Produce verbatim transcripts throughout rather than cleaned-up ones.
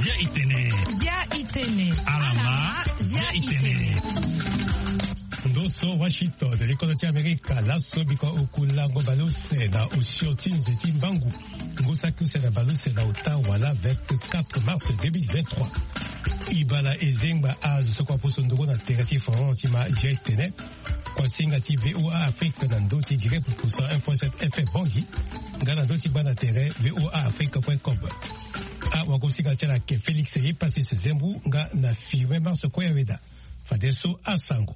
Zia itene. Zia itene. Alama, zia itene. Ndo so Washington, likolo ti Amerika, laso biko oku lango baleuse na osio ti nze ti mbangu. Ngu saki use na baleuse na ota wala vingt-quatre mars deux mille vingt-trois. Ibala ezengba azo soko aposo ndongo na tere ti France ti ma zia itene. Kuasinga ti V O A Afrique na ndö ti direct pour cent un point sept F M Bangui, nga na ndö ti gba na tere V O A Afrique point com. Awagosinga ti ala ke Félix Yepassis Zembu nga na Firmin Marso Koyaweda. Fadeso asango.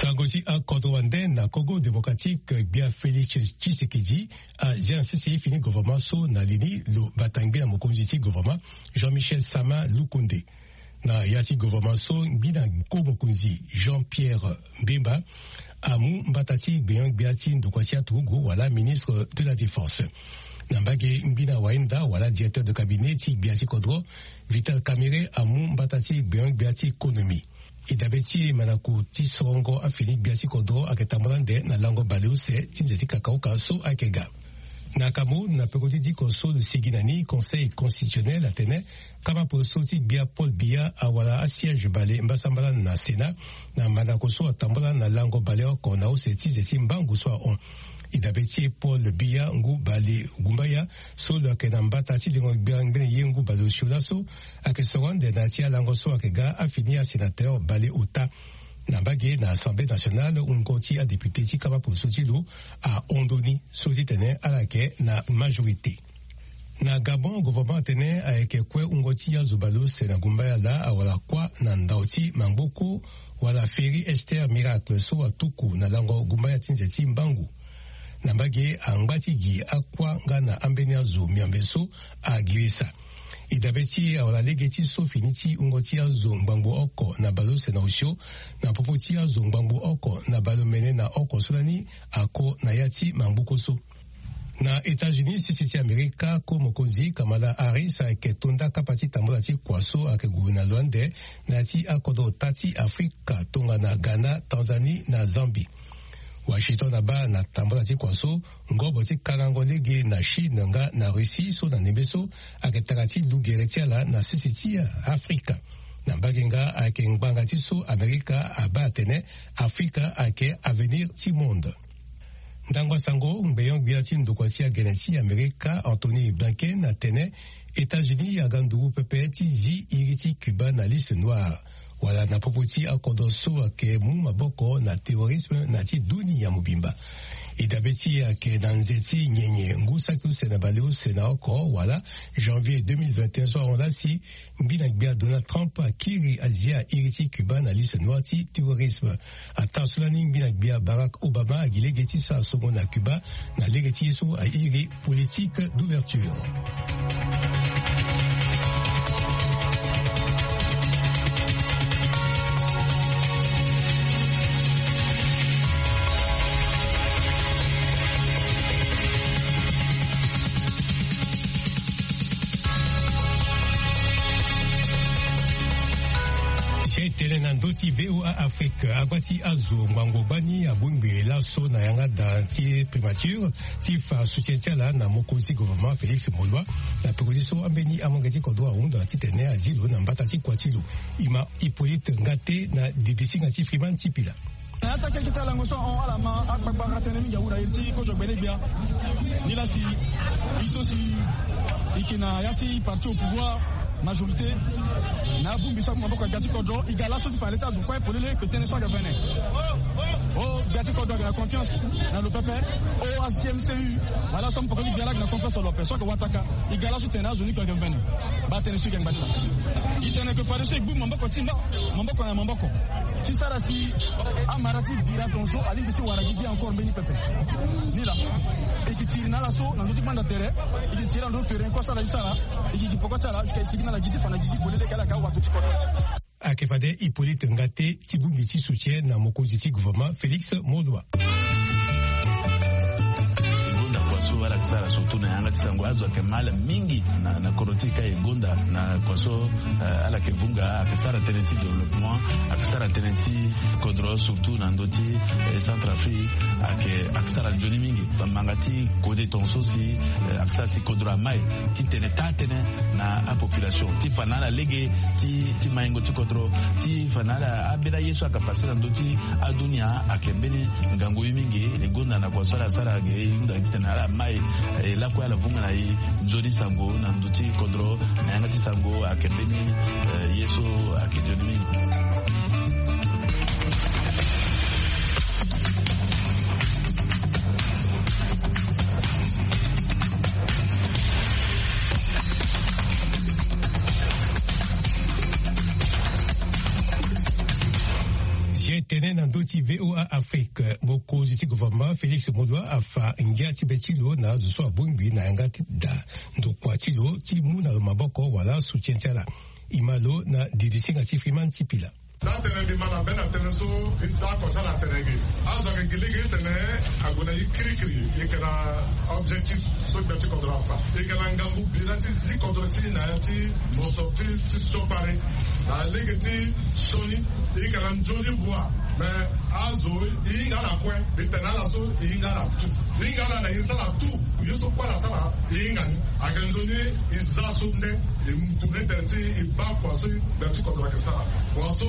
Sango ti akodro wande na Congo Démocratique, gbia Félix Tshisekedi azia na sese ye fini gouvernement so na li ni lo bata ngbi na mokonzi ti gouvernement Jean-Michel Sama Lukonde. Na ya ti gouvernement so, ngbina ko mokonzi Jean-Pierre Bemba amu mbata ti gbenyo-gbia ti ndokua ti aturugu wala ministre de la Défense. Na mbage, ngbina wahinda wala directeur de cabinet ti gbia ti kodro Vital Kamerhe amu mbata ti gbenyo-gbia ti économie. E dabe ti e, mandako ti sorongo afini gbia ti kodro ayeke tambula ande na lango baleuse ti nze ti kakaoka so ayeke ga. Na Cameroun, na peko ti diko so lo sigi na ni, Conseil constitutionnel atene kama polo so ti gbia Paul Biya awara asiège bale mbasambala na Sénat, na mandako so atambula na lango bale oko na use ti nze ti mbangu so ahon. E dabe ti e, Paul Biya ngu bale gumbaya so lo yeke na mbata ti lengo gbia ngbene ye ngu bale osio laso ayeke soro ande na ya ti alango so ayeke ga afini asénateur bale ota. Na mbage, na Assemblée nationale, wungo ti adéputé ti kama polo so ti lo ahon ndoni so ti tene ala yeke na majorité. Na Gabon, gouvernement atene ayeke kue wungo ti azo baleuse na gumbaya laa awara kuâ na ndau ti mangboko wala Ferry Esther Miracle so atuku na lango gumbaya ti nze ti mbangu. Na mbage, angba ti gi akuâ nga na ambeni azo miombe so agirisa. E dabe ti e, awara lege ti so fini ti wungo ti azo ngbangbo oko na baleuse na osio na popo ti azo ngbangbo oko na baleomene na oko so lani ako na ya ti mangboko so. Na États-Unis, sese ti Amerika, ko mokonzi Kamala Harris ayeke to nda kapa ti tambula ti kua so ayeke gue na lo ande na ya ti akodro ota ti Afrika tongana Ghana, Tanzanie na Zambie. Washington abaa na tambula ti kua so ngobo ti kalango lege na Chine nga na Russie so na ndembe so ayeke tara ti lu gere ti ala na sese ti Afrika. Na mbage nga ayeke ngbanga ti so Amerika abaa atene Afrika ayeke avenir ti monde. Ndangba sango, ngbenyo-gbia ti ndokua ti agene ti Amerika, Anthony Blinken, atene États-Unis aga nduru pepe ti zi iri ti Cuba na liste noire, wala na popo ti akodro so ayeke mu maboko na terrorisme na ti dunia mobimba. E dabe ti e ayeke na nze ti nyenye ngu saki use na baleuse na oko wala janvier deux mille vingt et un so ahon laa si ngbina gbia Donald Trump akiri azia iri ti Cuba na liste noire ti terrorisme. Ataa so lani ngbina gbia Barack Obama agi lege ti sara songo na Cuba na lege ti ye so airi politique d'ouverture. Titene na ndö ti V O A Afrique, agba ti azo ngbangbo gbani abongbi laso na yanga da ti primature ti fa soutien ti ala na mokonzi gouvernement Félix Molois, na peko ti so ambeni amolenge ti kodro ahunda titene azi lo na mbata ti kua ti lo. E ma Hippolyte Ngate na didisinga ti Freeman Sipila. Na ya ti akeke ti alango so ahon, ala ma akpakpara tënë mingi awu na iri ti kozo gbene gbia. Nilaa si e so si e yeke na ya ti parti au pouvoir, majorité, na abongbi so amu maboko na gbia ti kodro, e ga laso ti fa na le ti azo kue polele ke tënë so ayeke vene. O gbia ti kodro ayeke na confiance na lo pepe. O A C M C U wala so amu peko ti gbia laa ayeke na confiance na lo ape so ayeke wataka. E ga laso ti tene azo ni kue ayeke vene. Baa tënë so e ga ngba ti fa. E tene ke fadeso e gbu maboko ti mba, maboko na maboko. Ti sara si amara ti bira tongaso alingbi ti wara gigi encore mbeni pepe. Nilaa. E yeke tiri na ala so na ndö ti gbanda tere. E yeke tiri na ndö ti tere ni kue so ala ti sara. E yeke gi peko ti ala jusqu'à e sigi na ala gi ti fa na gigi polele ke ala ka wato ti kodro. Ayeke fade Hippolyte Ngate ti bongbi ti soutien na mokonzi ti gouvernement Félix Molois. E gonda kua so Ala sara surtout na yanga ti sango azo ayeke ma ala mingi na kodro ti e ka e gonda na kua so. Ala yeke vunga ayeke sara tënë ti développement, ayeke sara tënë ti kodro surtout na ndö ti Centrafrique. Ayeke sara nzoni mingi bamanga ti kode tonga so si ayeke sara si kodro amai ti tene taa tënë na apopulation ti fa na ala lege ti maingo ti kodro ti fa na ala ambeni aye so ayeke pase na ndö ti adunia ayeke mbeni ngangu ye mingi. E gonda na kua so ala sara ge e hunda titene ala mai e lakue ala vunga na e nzoni sango na ndö ti kodro na yanga ti sango ayeke mbeni ye so ayeke nzoni mingi. Zia tene na ndö ti VOA Afrique, mokonzi ti gouvernement Félix Moloua afa ngia ti be ti lo na azo so abongbi na yanga ti da ndokua ti lo ti mu na lo maboko wala soutien ti ala. E ma lo na didisinga ti Freeman ti pila. Taa tene mbi ma na be na tënë so mbi daa kua ti ala atene ge. Azo ayeke gi lege titene ague na e kirikiri e yeke na objectif so gbia ti kodro afa. E yeke na ngangu bira ti zi kodro ti e na ya ti moso ti ti siokpari na lege ti sioni. E yeke na nzoni vua me azo e hinga ala kue. Mbi tene ala so e hinga ala tu. E hinga ala na e sara tu. Ye so kue ala sara e hinga ni. Ayeke nzoni e za so nde e mu tene tene ti e baa kua so gbia ti kodro ayeke sara. Kua so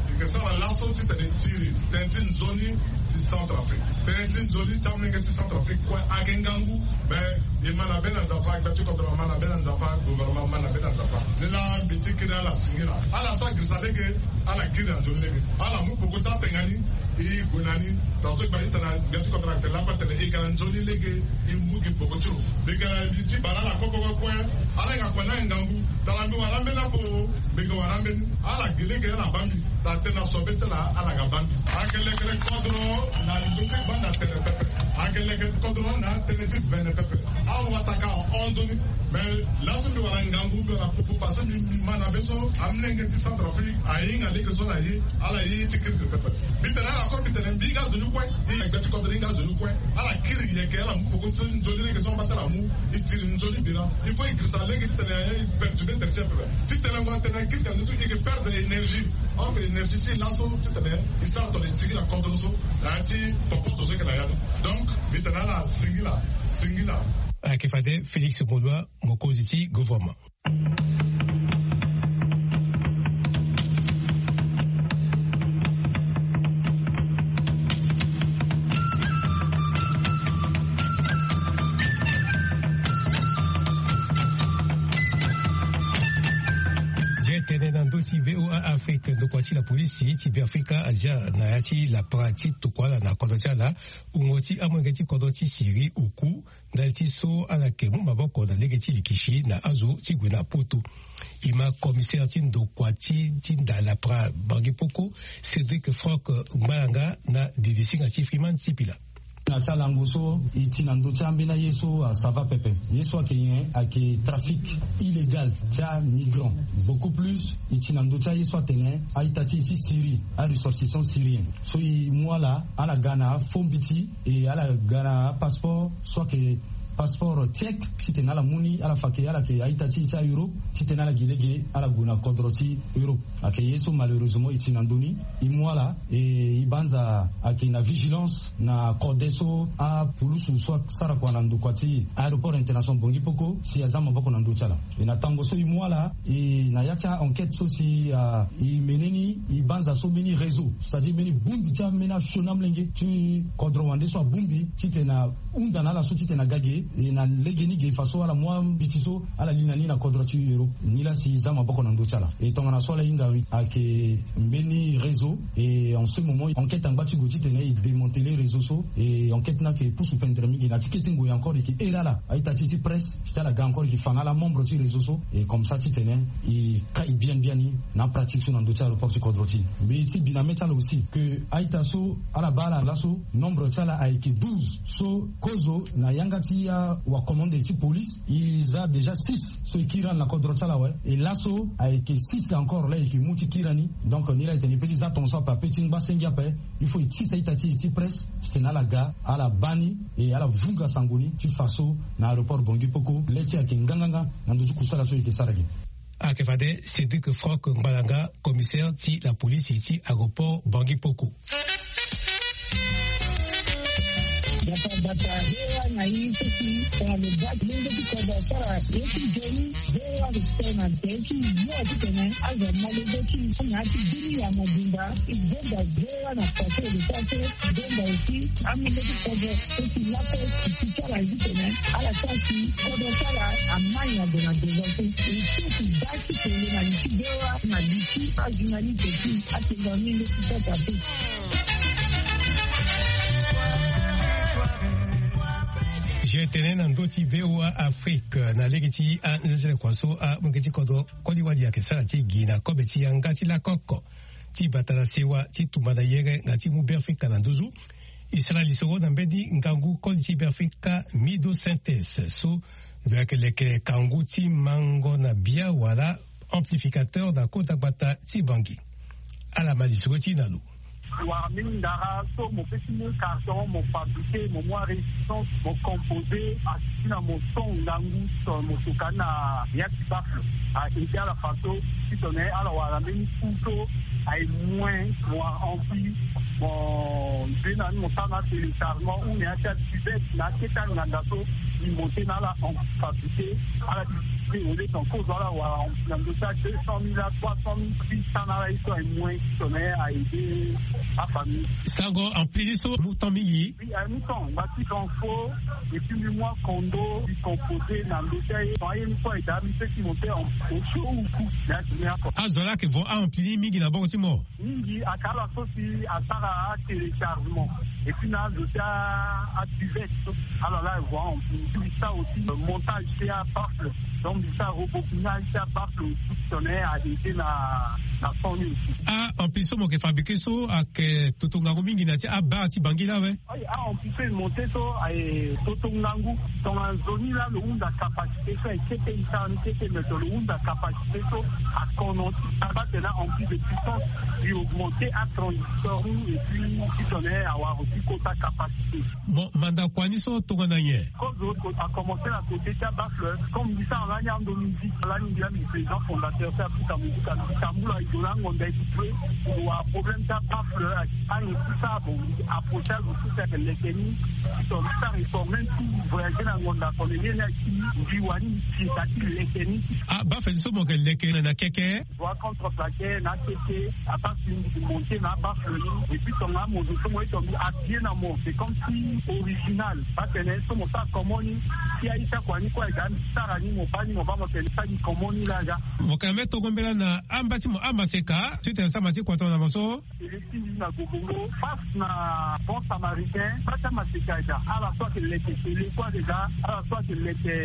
e yeke sara laso titene e tiri tënë ti nzoni ti Centrafrique. Tënë ti nzoni ti amolenge ti Centrafrique kue ayeke ngangu. Me e ma na be na Nzapa, gbia ti kodro ama na be na Nzapa, gouvernement ama na be na Nzapa. Ni laa mbi ti kiri ala singila. Ala so agirisa lege ala kiri na nzoni lege. Ala mu peko ti atenga ni. E gue na ni. Tongaso e baa ni tene gbia ti kodro ayeke tene lakue atene e yeke na nzoni lege. E mu gi peko ti lo. Mbi yeke na li ti bale ala kue kue kue. Ala yeke na kue ni ayeke ngangu. Tara mbi wara ambeni ape o. Mbi yeke wara ambeni. Ala gi lege ala baa mbi. Tara tënë na so be ti ala ala ga baa mbi. Ayeke lekere kodro na ndö ti gbanda tene pepe. Ayeke lekere kodro na tënë ti vene pepe. Awataka ahon nzoni. Me laso mbi wara ngangu mbi wara pupu parce que mbi ma na be so amolenge ti Centrafrique ahinga lege so na ye. Ala ye ye ti kiri pepe. Mbi tene ala kue mbi tene mbi hinga azo ni kue. E gbia ti kodro hinga azo ni kue. Ala kiri yeke ala mu peko ti nzoni lege so amba ti ala mu. E tiri nzoni bira. Il faut e girisa lege titene e perturbe tere ti e pepe. Titene ngu atene kiri ka nzoni so e yeke perdre énergie. Or énergie ti e laso titene e sara tongana e singila kodro so na ya ti popoto so e yeke na ya ni. Donc mbi tene ala singila singila. Ayeke fade Félix Moloua, mokonzi ti gouvernement. Ye tene na ndö ti VOA Afrique, ndokua ti lapolisi ti Beafrika azia na ya ti lapara ti tokua ala na kodro ti ala wungo ti amolenge ti kodro ti Syrie oku ndali ti so ala yeke mu maboko na lege ti likisi na azo ti gue na poto. E ma commissaire ti ndokua ti ti nda lapara Bangui Poko, Cédric Franck Ngbalanga na didisinga ti Freeman Sipila. Na ti alango so e ti na ndö ti ambeni aye so asava pepe. Ye so ayeke nyen? Ayeke trafic illégal ti amigrant. Beaucoup plus e ti na ndö ti aye so atene a-ita ti e ti Syrie, aressortissant syrien. So e mu ala, ala ga na faux mbiti, e ala ga na apasseport so ayeke passeport tchèque titene ala mu ni, ala fa ke ala yeke a-ita ti e ti a-Europe titene ala gi lege ala gue na kodro ti Europe. Ayeke ye so malheureusement e ti na ndö ni. E mu ala, e e banza ayeke na vigilance na kode so apulusu so asara kua na ndokua ti aéroport international Bangui Poko si aza maboko na ndö ti ala. E na tango so e mu ala, e na ya ti a-enquête so si e mene ni, e banza so mbeni réseau, c'est-à-dire mbeni bongbi ti ambeni asioni amolenge ti kodro wande so abongbi titene ahunda na ala so titene aga ge, e na lege ni ge faso ala mu ambiti so ala li na ni na kodro ti Europe. Nilaa si e za maboko na ndö ti ala. E tongana so ala hinga ayeke mbeni réseau. Et en ce moment enquête angba ti gue titene e démanteler réseau so. Et enquête ni ayeke pusu pendere mingi na ti kete ngoi encore e yeke here ala a-ita ti e ti presse titene ala ga encore e yeke fa na ala membre ti réseau so. Et comme ça titene e kai biani biani na apratique so na ndö ti aéroport ti kodro ti e. Mbi ti bi na mê ti ala aussi que a-ita so ala baa ala laso nombre ti ala ayeke douze so kozo na yanga ti Wakomande ti police, e za déjà six so e kiri na kodro ti ala awe. E laso ayeke six encore la e yeke mu ti kiri ni. Donc ni la e tene e pe ti za tongaso ape, ape ti ngba senge ape. Il faut e tisa ita ti e ti presse titene ala ga, ala baa ni, e ala vunga sango ni ti fa so na aéroport Bangui Poko le ti ayeke nganganga na ndö ti kusala so e yeke sara gi. Ayeke fade Cédric Franck Ngbalanga, commissaire ti la police ti aéroport Bangui Poko. Bata bata, V O A na i so si tongana lo baa ti lenge ti kodro asara ye ti nzoni, V O A respect na nze ti yo titene azo amolenge ti i na ya ti bini ya mobimba. I gbenda V O A na façon de faire que gbenda aussi amolenge ti kodro so si lape ti ti ti ala titene ala sara si kodro ti ala amai na gue na devant so. E so ti baa ti kele na li ti V O A na li ti ajournaliste ti atenda ni nde ti sasa pe. Zia tene na ndö ti V O A Afrique na lege ti anzenzele kua so amolenge ti kodro koli wali ayeke sara ti gi na kobe ti yanga ti lakoko ti bata na sewa ti tumba na yere nga ti mu Beafrika na nduzu. E sara lisoro na mbeni ngangu koli ti Beafrika, Mido Synthèse, so lo yeke leke kangu ti mango na bia wala amplificateur na kota gbata ti Bangui. Ala ma lisoro ti e na lo. Wara mbeni ndara so mo pe ti mu carton, mo fabriquer, mo mu arésistance, mo composer, asi ti na mo so ngangu so mo toka ni na ya ti baffle. A aider ala façon ti tongana ala wara mbeni fu so aye moins, mo wara ampli, mo nze na ni mo sara na téléchargement ou na ya ti abuvette na akete anganda so e monter na ala en fabriqué, ala distribuer au lieu ton kozo ala wara ampli na ndö ti a deux cent mille, a trois cent mille, six cent na ala ye so aye moins ti tongana aye aider afamille. Sango ampli ni so amu temps mingi? Oui, aye mu temps, mba ti transfo, et puis mbi mu acondo, mbi composer na ndö ti aye. Aye ni so aye daa mbi pe ti monter en au chaud ou cook na ya ti mbi oko. Azo laa ayeke vo a-ampli ni mingi na boko ti mo? Mingi ayeke ala so si asara atéléchargement, et puis na azo ti abuvette so ala laa vo a-ampli. Mbi sara aussi montage ti abaffle. Donc mbi sara rebobinage ti abaffle aussi, tongana aye aider na na son ni aussi. A-ampli so mo yeke fabriquer so ayeke toto ngangu mingi na ya ti abar ti Bangui laa awe? Aye, a-ampli so e monter so aye toto ngangu. Tongana nzoni laa lo hunda capacité so aye kete, e sara ni kete, mais tongana lo hunda capacité so akono ti sara tene a-ampli de puissance, e augmenter atransistor ni, et puis ti tongana awara aussi kota capacité. Bon, manda kua ni so tongana nyen? Kozo akomencer na côté ti abaffle, comme mbi sara lani ando musique, lani mbi laa mbi président fondateur ti Africa Musica. Tambula e gue na angonda e ti gue, e wara problème ti abaffle, aye ti sara, bon, approcher azo so si ayeke leke ni, ti tongana ti sara réformer ti voyager na ngonda, tongana ye ni aye ti mbi wani mbi tinda ti leke ni. Ah, baffle so mo yeke leke na keke? Wa contre plaqué na keke, à partir du monté na baffle ni, et puis tongana mo zo so mo ye tongana mbi habillé na mo, c'est comme si original. Parce que so mo sara comment ni, si aye ti akua ni kue aye ga mbi sara ni, mo baa ni, mo baa mo tene sara ni comment ni laa ga. Mo yeke na mbeni tongo mbela na amba ti mo amaseka, titene sama ti kua tongana mo so. Tene ti mbi na Gobongo, face na Bon Samaritain, baa ti amaseka aye ga, ala so ayeke leke tele kue aye ga, ala so ayeke leke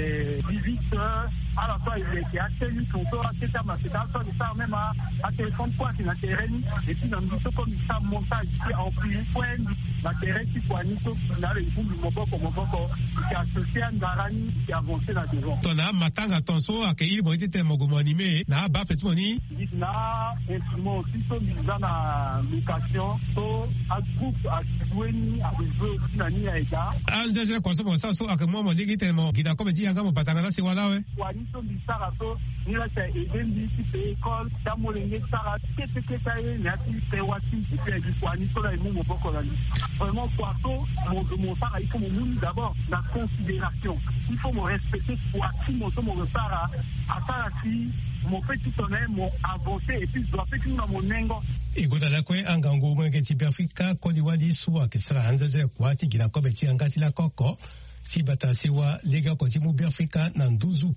viviste, ala so aye leke atenu tonso, akete amaseka, ala so aye sara même a, atéléphone kue ayeke na tere ni. Et puis na mbi so comme mbi sara montage ti ampli kue na tere ti kua ni so, na ala e vundu maboko maboko, e yeke associer andara ni, e yeke avancer na devant. Tongana amatanga tonso ayeke iri mo ye ti tene mo gue mo animer na abaffle ti mo ni? Mbi na instrument aussi so mbi za na location, so agroupe ague joue ni, ague joue aussi na ni aye ga. Anzenze kua so mo sara so ayeke mu mo lege ti tene mo gi na kobe ti yanga mo bata nga na sewa laa awe? Kua ni so mbi sara so, ni laa si aye aider mbi ti payer école ti amolenge ti sara kete kete aye na ya ti sewa ti mbi. Ti aye gi kua ni so laa e mu maboko na mbi. Vraiment kua so mo zo mo sara, il faut mo mu ni d'abord na considération. Il faut mo respecter kua ti mo so mo zo sara. Asara si mo pe ti tongana mo avancer et puis zo ape ti mu na mo nengo. E gonda lakue angangu molenge ti Beafrika koli wali so ayeke sara anzenze kua ti gi na kobe ti yanga ti lakoko ti bata sewa legeoko ti mu Beafrika na nduzu.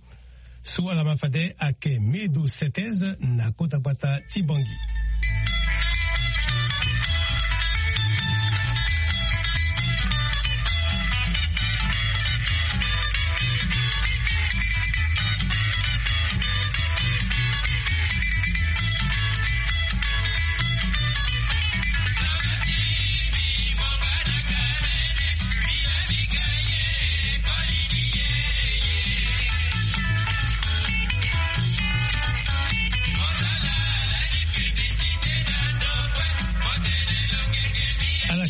So ala ma fade ayeke Medo Synthèse na kota gbata ti Bangui.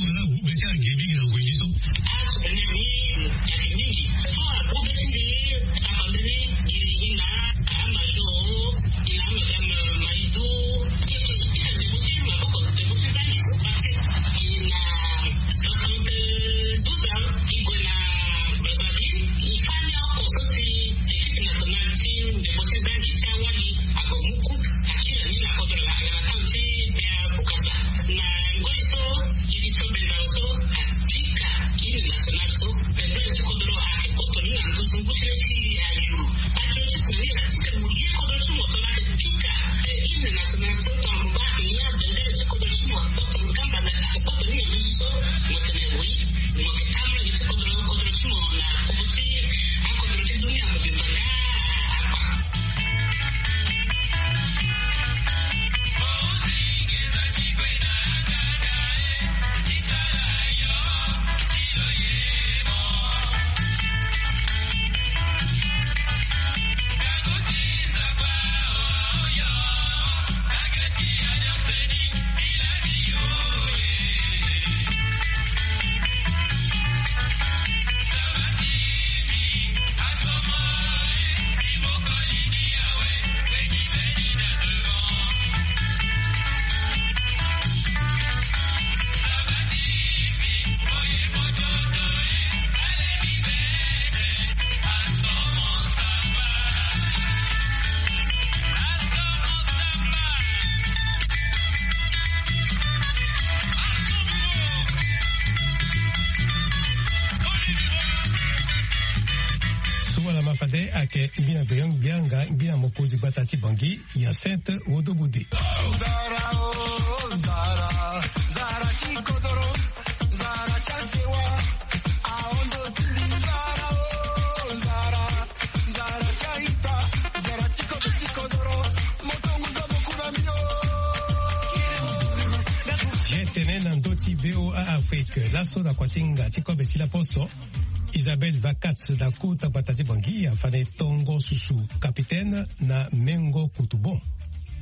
wala agube ti age mingi na ngoi ni. Ake ngbina gbeyo ngbia nga ngbina mokonzi gbata ti Bangi, Hyacinthe Wodo Bode. Ye tene na ndö ti V O A Afrique, laso na kuasinga ti kobe ti laposo, Isabelle Vakat na kota gbata ti Bangi afane tongo susu capitaine na mengo kutubon.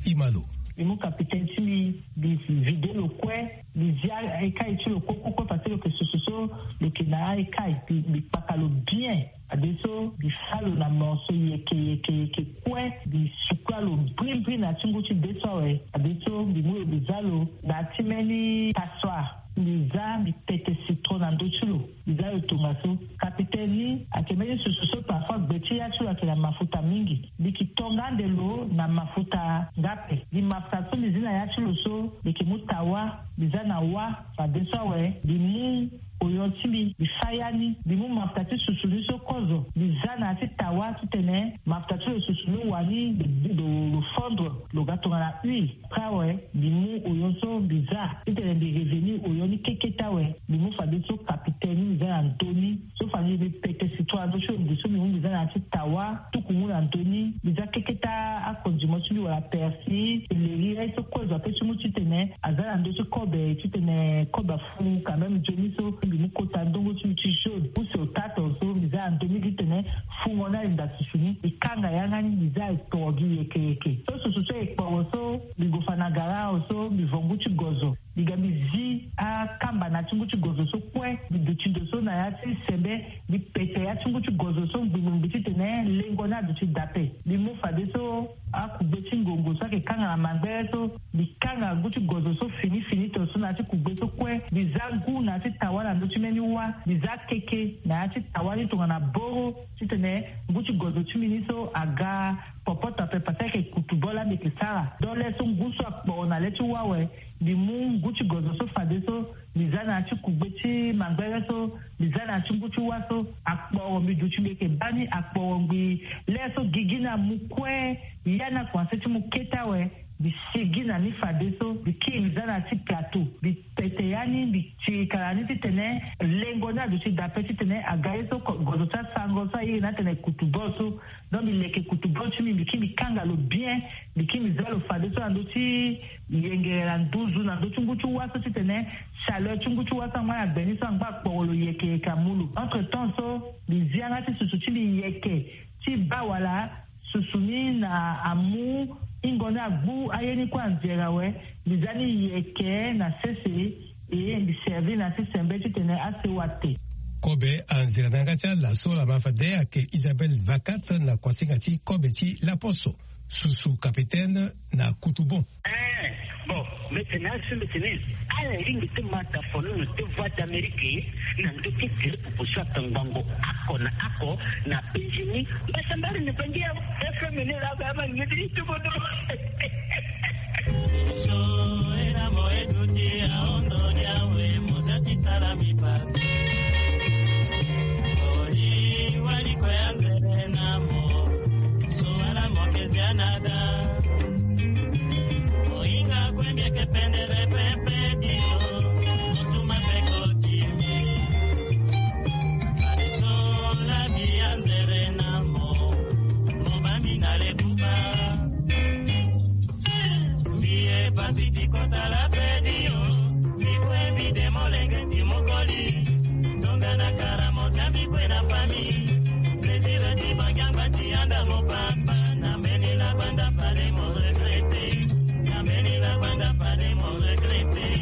Imalo. Mbi mu capitaine ti mbi, mbi vide lo kue, mbi zia ekai ti lo kue kue kue parce que lo yeke susu so lo yeke na ekai, mbi, mbi kpaka lo bien. Adeso mbi fa lo na morceau yeke yeke yeke kue, mbi sukula lo brimbri na ti ngu ti deso awe. Adeso mbi mu lo mbi za lo na ya ti mbeni passoire. Mbi za, mbi pete citron na ndö ti lo, mbi za lo tongaso. Capitaine ni ayeke mbeni susu so parfois gbe ti ya ti lo ayeke na mafuta mingi. Mbi yeke tonga ande lo na mafuta nga ape. Mbi mafuta so mbi zi na ya ti lo so, mbi yeke mu tawa, mbi za na wa. Fadeso awe mbi mu oyon ti mbi, mbi fa ya ni, mbi mu mafuta ti susu ni so kozo, mbi za na ya ti tawa titene mafuta ti lo susu ni wani, lo, lo, lo fondre, lo ga tongana huile. Après awe mbi mu oyon so mbi za titene mbi revenir oyon ni kekete awe. Mbi mu fadeso capitaine ni, mbi za na ndö ni. So fade mbi pete citron na ndö ti lo, mbi so mbi mu mbi za na ya ti tawa, tuku mu na ndö ni, mbi za kekete acondiment ti mbi wala persil, céleri, ye so kozo ape ti mu titene aza na ndö ti kobe, titene kobe afu quand même nzoni so. Mbi mu kota ndongo ti mbi ti jaune, mu so tato so mbi za na ndö ni titene fungo ni alinda susu ni. Mbi kanga yanga ni, mbi za ekporo gi yeke yeke. So susu so ekporo so, mbi gue fa na gara awe so, mbi vo ngu ti gozo. Mbi ga mbi zi akamba na ya ti ngu ti gozo so kue, mbi duti ndo so na ya ti sembe, mbi pete ya ti ngu ti gozo so ngbingbingbi titene lengo ni aduti daa ape. Mbi mu fadeso akugbe ti ngongo so ayeke kanga na mangbere so, mbi kanga ngu ti gozo so fini fini tongaso na ya ti kugbe so kue. Mbi za ngu na ya ti tawa na ndö ti mbeni wa, mbi za keke na ya ti tawa ni tongana boro, titene ngu ti gozo ti mbi ni so aga popoto ape, parce que ayeke kutu bo laa mbi yeke sara. Donc le so ngu so akporo na le ti wa awe, mbi mu ngu ti gozo so fadeso, mbi za na ya ti kugbe ti mangbere so, mbi za na ya ti ngu ti wa so, akporo mbi duti mbi yeke baa ni, akporo ngbii. Le so gigi ni amu kue, ya ni akumanse ti mu kete awe, mbi sigi na ni fadeso, mbi kiri mbi za na ya ti plateau, mbi pete ya ni, mbi tirika na ni titene lengo ni aduti daa ape, titene aga ye so ko-, gozo ti asango so airi ni atene kutu bo so. Donc mbi leke kutu bo ti mbi, mbi kiri mbi kanga lo bien, mbi kiri mbi za lo fadeso na ndö ti yengere na nduzu na ndö ti ngu ti wa so titene chaleur ti ngu ti wa so angba na gbe ni so angba akporo lo yeke yeke amu lo. Entre temps so, mbi zi yanga ti susu ti mbi yeke ti baa wala susu ni na amu hingo ni agbu aye ni kue anzere awe, mbi za ni yeke na sese, e mbi servi na ya ti sembe titene asewa te. Kobe anzere na yanga ti ala so laa ma fade ayeke Isabelle Vakat na kuasinga ti kobe ti laposo, susu capitaine na kutu bon. Eh, bon, mbi tene azo so mbi tene ala lingbi ti ma ta folono ti Voix d'Amérique na ndö ti gere popo so atongbango oko na oko na penzi ni. Mbasambala ni bangi ya F M ni laa ba ma ngedi ti kodro. So ena mo eduti aondo ni awe mo za ti sala mbi pasi. Oli wali kue anzere na mo. So wala mo ke zia na da. Mohinga kue mbi yeke pendere pepe ti lo. Mo tuma pe koti. Fade so labi anzere na mo. Mo baa mbi na le buba. Mbi ye pasi ti kota la pe ti yo. Mbi kue mbi de molenge ti mokoli. Tongana kara mo zia mbi kue na famille. Plaisir ti bangi angba ti anda mo papa. Na mbeni la banda fade mo regretter. Na mbeni la banda fade mo regretter.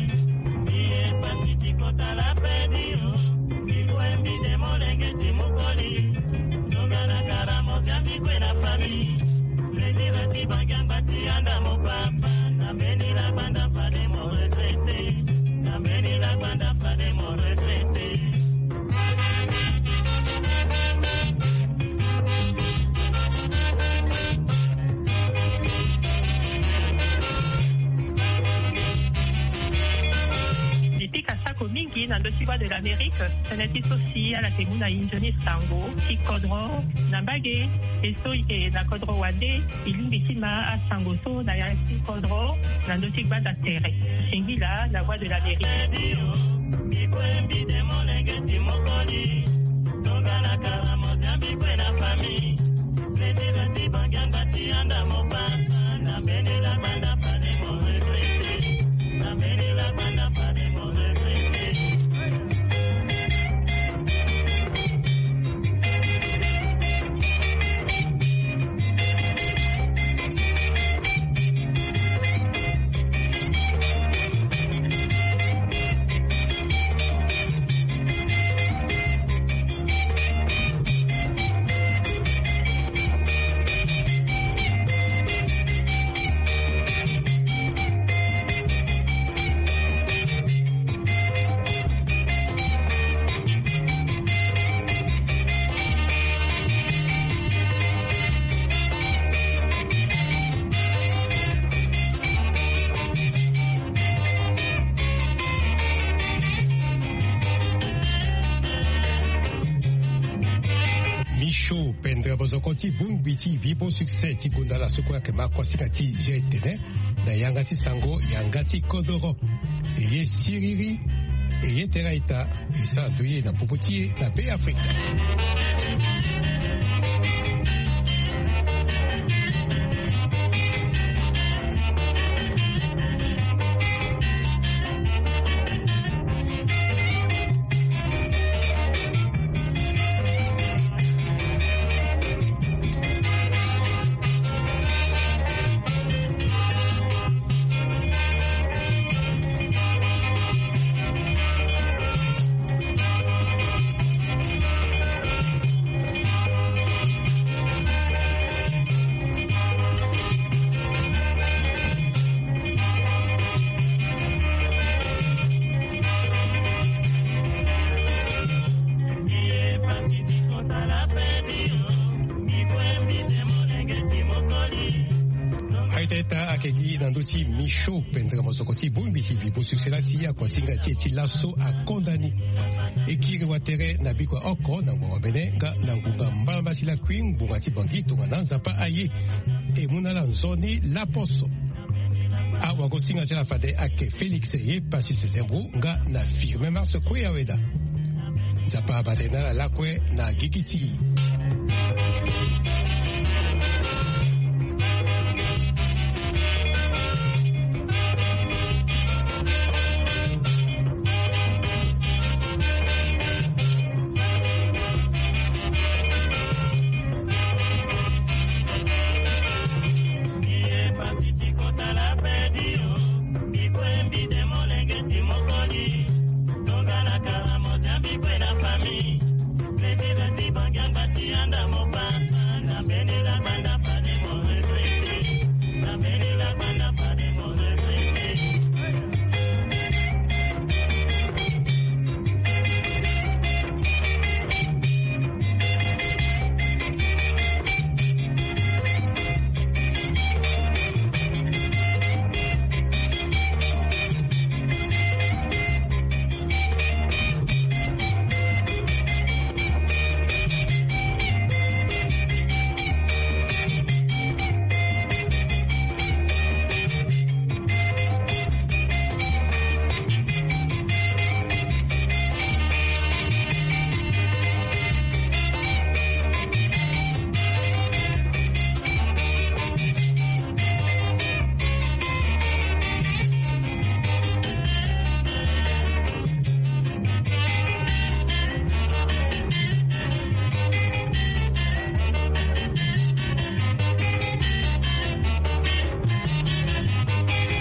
Mbi ye pasi ti kota la pe ti yo. Mbi kue mbi de molenge ti mokoli. Tongana kara mo zia mbi kue na famille. Plaisir ti bangi angba ti anda mo papa. Na mbeni la banda fade mo Na ndö ti Voix de l'Amérique, tënë ti so si ala yeke mu na e nzoni sango ti kodro na mbage. E so e yeke na kodro wande, e lingbi ti ma asango so na ya ti kodro na ndö ti gbanda tere. Singila na Voix de l'Amérique. Michaud Pendre, bozoko ti bongbi ti Vibo Succès ti gonda la so kue ayeke ma kuasinga ti zio etene na yanga ti sango, yanga ti kodoro. E ye siriri, e ye tere a-ita, e sara ndo ye na popo ti e na Be Afrika. Aita ita ayeke gi na ndö ti Michaud Pendre, mosoko ti bongbi ti Vibo Succès la si akuasinga ti e ti laso akonda ni. E kiri watere na bikua oko na ngbonga mene nga na ngbonga mbala mbala ti lakui ngbonga ti Bangui tongana Nzapa aye. E mu na ala nzoni laposo. Awagosinga ti ala fade ayeke Félix Ye Pasi Sezembo nga na Firmin Mars Kue Aweda. Nzapa abate na ala lakue na gigi ti e.